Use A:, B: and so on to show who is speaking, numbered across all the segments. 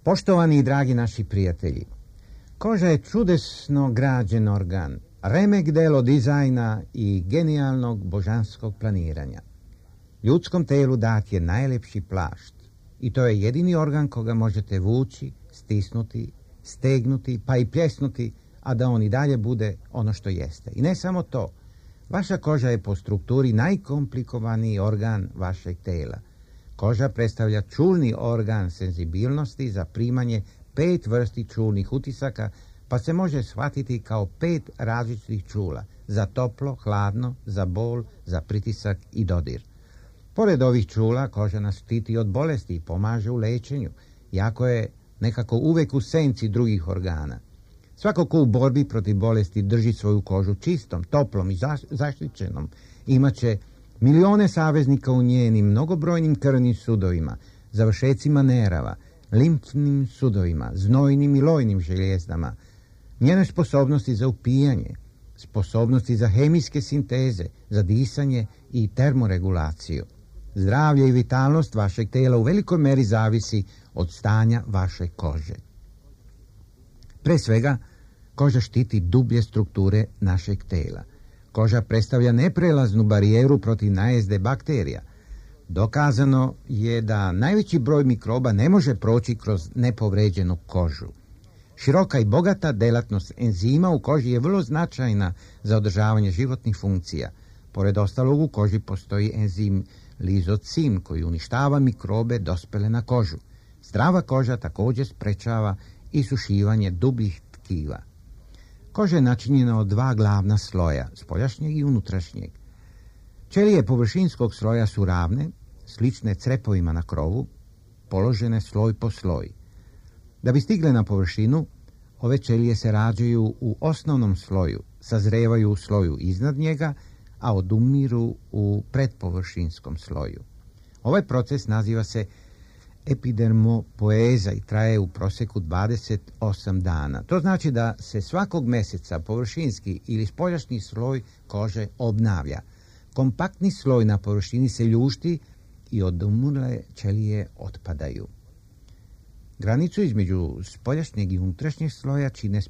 A: Poštovani i dragi naši prijatelji, koža je čudesno građen organ, remek delo dizajna i genijalnog božanskog planiranja. Ljudskom telu dat je najlepši plašt i to je jedini organ koga možete vući, stisnuti, stegnuti pa i pljesnuti, a da on i dalje bude ono što jeste. I ne samo to, vaša koža je po strukturi najkomplikovaniji organ vašeg tela. Koža predstavlja čulni organ senzibilnosti za primanje 5 vrsti čulnih utisaka, pa se može shvatiti kao 5 različitih čula, za toplo, hladno, za bol, za pritisak i dodir. Pored ovih čula, koža nas štiti od bolesti i pomaže u lečenju, iako je nekako uvek u senci drugih organa. Svako ko u borbi protiv bolesti drži svoju kožu čistom, toplom i zaštićenom, imaće milione saveznika u njenim mnogobrojnim krvnim sudovima, završecima nerava, limfnim sudovima, znojnim i lojnim željezdama, njene sposobnosti za upijanje, sposobnosti za hemijske sinteze, za disanje i termoregulaciju. Zdravlje i vitalnost vašeg tela u velikoj meri zavisi od stanja vaše kože. Pre svega, koža štiti dublje strukture našeg tela. Koža predstavlja neprelaznu barijeru protiv najezde bakterija. Dokazano je da najveći broj mikroba ne može proći kroz nepovređenu kožu. Široka i bogata delatnost enzima u koži je vrlo značajna za održavanje životnih funkcija. Pored ostalog, u koži postoji enzim lizocim koji uništava mikrobe dospele na kožu. Zdrava koža također sprečava isušivanje dubljih tkiva. Koža je načinjena od 2 glavna sloja, spoljašnjeg i unutrašnjeg. Ćelije površinskog sloja su ravne, slične crepovima na krovu, položene sloj po sloj. Da bi stigle na površinu, ove ćelije se rađaju u osnovnom sloju, sazrevaju u sloju iznad njega, a odumiru u predpovršinskom sloju. Ovaj proces naziva se epidermopoeza i traje u prosjeku 28 dana. To znači da se svakog mjeseca površinski ili spoljašnji sloj kože obnavlja. Kompaktni sloj na površini se ljušti i odumrle ćelije otpadaju. Granicu između spoljašnjeg i unutrašnjeg sloja čine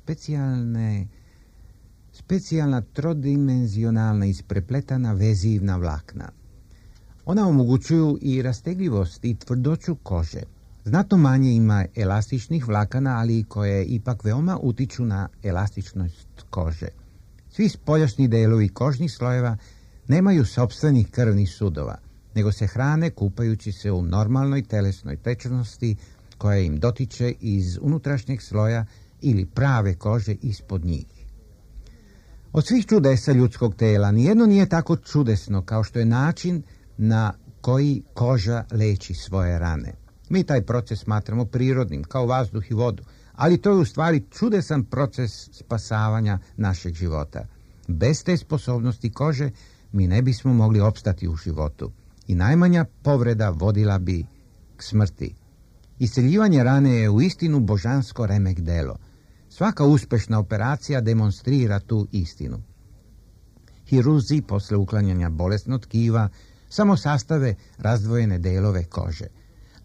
A: specijalna trodimenzionalna isprepletana vezivna vlakna. Ona omogućuju i rastegljivost i tvrdoću kože. Znatno manje ima elastičnih vlakana, ali koje ipak veoma utiču na elastičnost kože. Svi spoljašnji delovi kožnih slojeva nemaju sopstvenih krvnih sudova, nego se hrane kupajući se u normalnoj telesnoj tečnosti koja im dotiče iz unutrašnjeg sloja ili prave kože ispod njih. Od svih čudesa ljudskog tela nijedno nije tako čudesno kao što je način na koji koža leči svoje rane. Mi taj proces smatramo prirodnim, kao vazduh i vodu, ali to je u stvari čudesan proces spasavanja našeg života. Bez te sposobnosti kože mi ne bismo mogli opstati u životu i najmanja povreda vodila bi k smrti. Isceljivanje rane je uistinu božansko remek delo. Svaka uspešna operacija demonstrira tu istinu. Hirurzi posle uklanjanja bolesnog tkiva samo sastave razdvojene delove kože,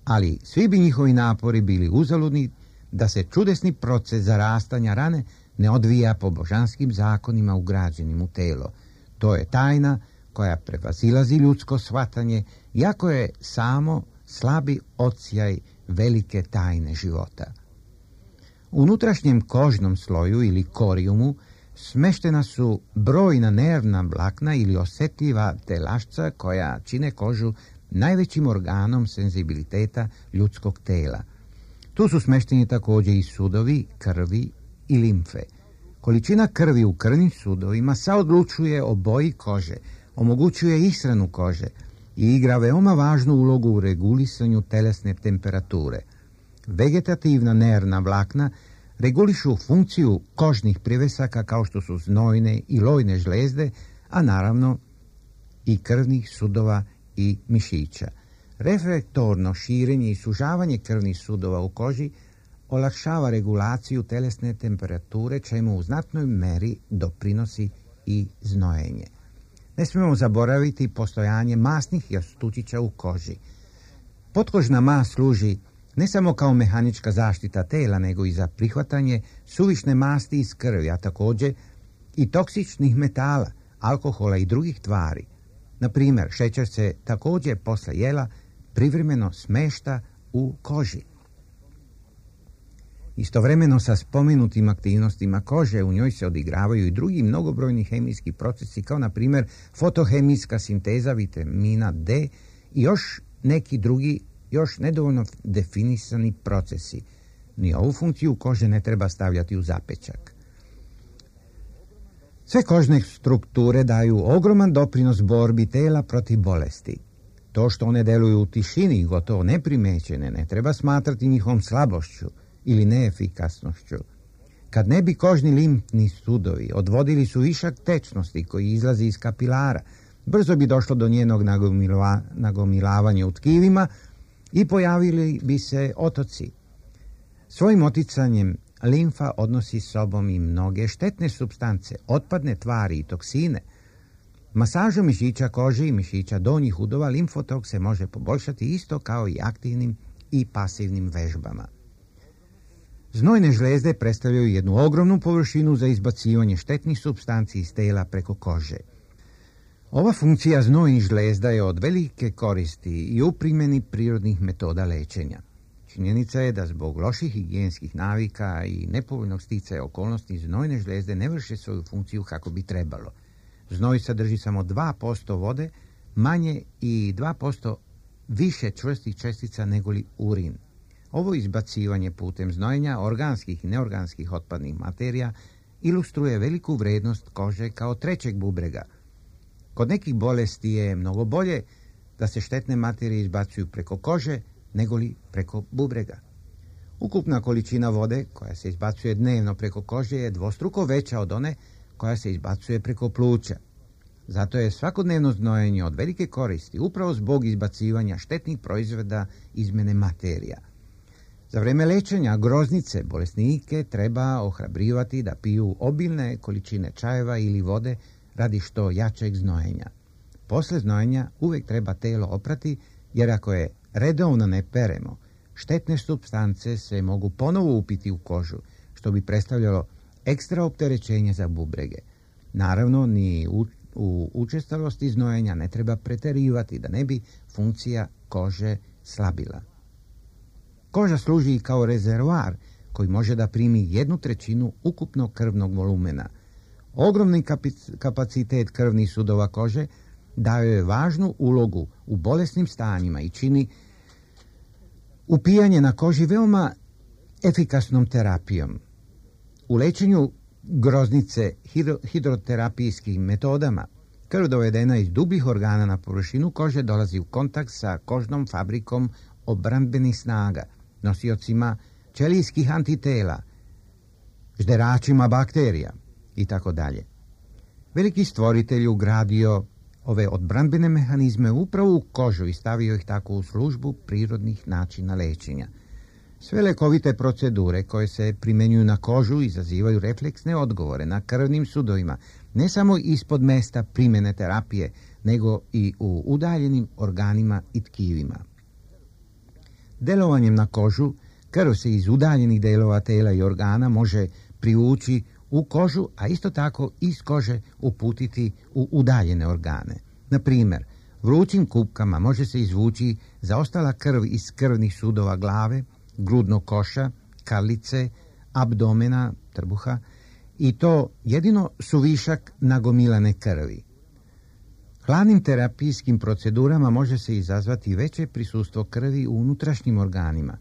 A: ali svi bi njihovi napori bili uzaludni da se čudesni proces zarastanja rane ne odvija po božanskim zakonima ugrađenim u telo. To je tajna koja prevazilazi ljudsko shvatanje, iako je samo slabi odsjaj velike tajne života. U unutrašnjem kožnom sloju ili korijumu smeštena su brojna nervna vlakna ili osjetljiva telašca koja čine kožu najvećim organom senzibiliteta ljudskog tela. Tu su smešteni također i sudovi, krvi i limfe. Količina krvi u krvnim sudovima saodlučuje o boji kože, omogućuje ishranu kože i igra veoma važnu ulogu u regulisanju telesne temperature. Vegetativna nervna vlakna regulišu funkciju kožnih privesaka kao što su znojne i lojne žlezde, a naravno i krvnih sudova i mišića. Reflektorno širenje i sužavanje krvnih sudova u koži olakšava regulaciju telesne temperature, čemu u znatnoj meri doprinosi i znojenje. Ne smijemo zaboraviti postojanje masnih jastučića u koži. Potkožna mast služi ne samo kao mehanička zaštita tela, nego i za prihvatanje suvišne masti iz krvi, a također i toksičnih metala, alkohola i drugih tvari. Na primjer, šećer se također posle jela privremeno smešta u koži. Istovremeno sa spomenutim aktivnostima kože u njoj se odigravaju i drugi mnogobrojni hemijski procesi, kao na primjer fotohemijska sinteza vitamina D i još neki drugi, još nedovoljno definisani procesi. Ni ovu funkciju kože ne treba stavljati u zapečak. Sve kožne strukture daju ogroman doprinos borbi tela protiv bolesti. To što one deluju u tišini i gotovo neprimećene ne treba smatrati njihovom slabošću ili neefikasnošću. Kad ne bi kožni limfni sudovi odvodili su višak tečnosti koji izlazi iz kapilara, brzo bi došlo do njenog nagomilavanja u tkivima i pojavili bi se otoci. Svojim oticanjem limfa odnosi s sobom i mnoge štetne supstance, otpadne tvari i toksine. Masažom mišića kože i mišića donjih udova limfotok se može poboljšati isto kao i aktivnim i pasivnim vežbama. Znojne žlezde predstavljaju jednu ogromnu površinu za izbacivanje štetnih supstanci iz tela preko kože. Ova funkcija znojnih žlezda je od velike koristi i u primjeni prirodnih metoda lečenja. Činjenica je da zbog loših higijenskih navika i nepovoljnog sticaja okolnosti znojne žlezde ne vrše svoju funkciju kako bi trebalo. Znoj sadrži samo 2% vode, manje i 2% više čvrstih čestica negoli urin. Ovo izbacivanje putem znojenja organskih i neorganskih otpadnih materija ilustruje veliku vrednost kože kao trećeg bubrega. Kod nekih bolesti je mnogo bolje da se štetne materije izbacuju preko kože negoli preko bubrega. Ukupna količina vode koja se izbacuje dnevno preko kože je dvostruko veća od one koja se izbacuje preko pluća. Zato je svakodnevno znojenje od velike koristi upravo zbog izbacivanja štetnih proizvoda izmjene materija. Za vrijeme lečenja groznice bolesnike treba ohrabrivati da piju obilne količine čajeva ili vode radi što jačeg znojenja. Posle znojenja uvijek treba telo oprati, jer ako je redovno ne peremo, štetne supstance se mogu ponovo upiti u kožu, što bi predstavljalo ekstra opterećenje za bubrege. Naravno, ni u učestalosti znojenja ne treba preterivati da ne bi funkcija kože slabila. Koža služi kao rezervoar koji može da primi 1/3 ukupnog krvnog volumena. Ogromni kapacitet krvnih sudova kože daje je važnu ulogu u bolesnim stanjima i čini upijanje na koži veoma efikasnom terapijom. U lečenju groznice hidroterapijskim metodama krv dovedena iz dubljih organa na površinu kože dolazi u kontakt sa kožnom fabrikom obrambenih snaga, nosiocima ćelijskih antitela, žderačima bakterija i tako dalje. Veliki stvoritelj ugradio ove odbrambene mehanizme upravo u kožu i stavio ih tako u službu prirodnih načina lečenja. Sve lekovite procedure koje se primjenjuju na kožu izazivaju refleksne odgovore na krvnim sudovima, ne samo ispod mesta primjene terapije, nego i u udaljenim organima i tkivima. Delovanjem na kožu, krv se iz udaljenih delova tela i organa može privući u kožu, a isto tako iz kože uputiti u udaljene organe. Na primjer, vrućim kupkama može se izvući zaostala krv iz krvnih sudova glave, grudnog koša, karlice, abdomena, trbuha, i to jedino suvišak nagomilane krvi. Hladnim terapijskim procedurama može se izazvati veće prisustvo krvi u unutrašnjim organima.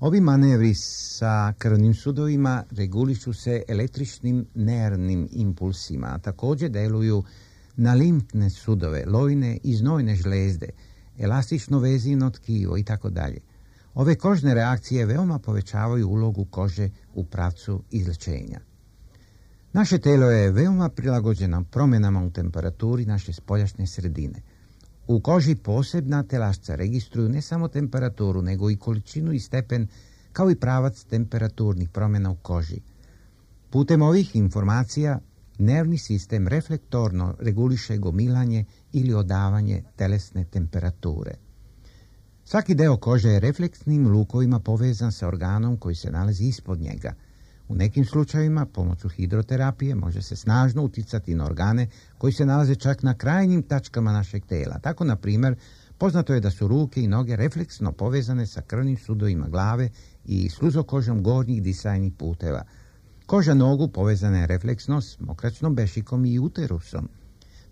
A: Ovi manevri sa krvnim sudovima regulišu se električnim nervnim impulsima, a također deluju na limfne sudove, lojne i znojne žlezde, elastično vezivno tkivo i tako dalje. Ove kožne reakcije veoma povećavaju ulogu kože u pravcu izlječenja. Naše telo je veoma prilagođeno promjenama u temperaturi naše spoljašnje sredine. U koži posebna telašca registruju ne samo temperaturu, nego i količinu i stepen, kao i pravac temperaturnih promjena u koži. Putem ovih informacija nervni sistem reflektorno reguliše gomilanje ili odavanje telesne temperature. Svaki deo kože je refleksnim lukovima povezan sa organom koji se nalazi ispod njega. U nekim slučajevima, pomoću hidroterapije, može se snažno uticati na organe koji se nalaze čak na krajnjim tačkama našeg tela. Tako, na primjer, poznato je da su ruke i noge refleksno povezane sa krvnim sudovima glave i sluzokožom gornjih disajnih puteva. Koža nogu povezana je refleksno s mokračnom bešikom i uterusom.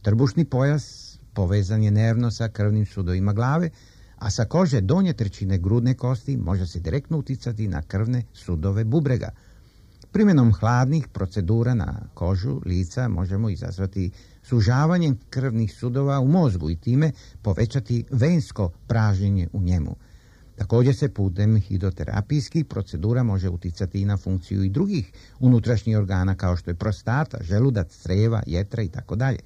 A: Trbušni pojas povezan je nervno sa krvnim sudovima glave, a sa kože donje trećine grudne kosti može se direktno uticati na krvne sudove bubrega. Primjenom hladnih procedura na kožu lica možemo izazvati sužavanje krvnih sudova u mozgu i time povećati vensko pražnjenje u njemu. Također se putem hidroterapijskih procedura može uticati i na funkciju i drugih unutrašnjih organa kao što je prostata, želudac, creva, jetra i tako dalje.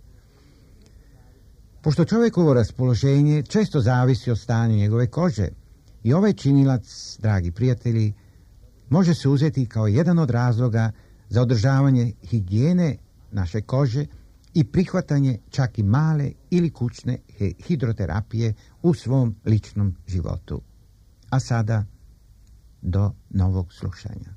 A: Pošto čovjekovo raspoloženje često zavisi od stanja njegove kože i ovaj činilac, dragi prijatelji, može se uzeti kao jedan od razloga za održavanje higijene naše kože i prihvatanje čak i male ili kućne hidroterapije u svom ličnom životu. A sada do novog slušanja.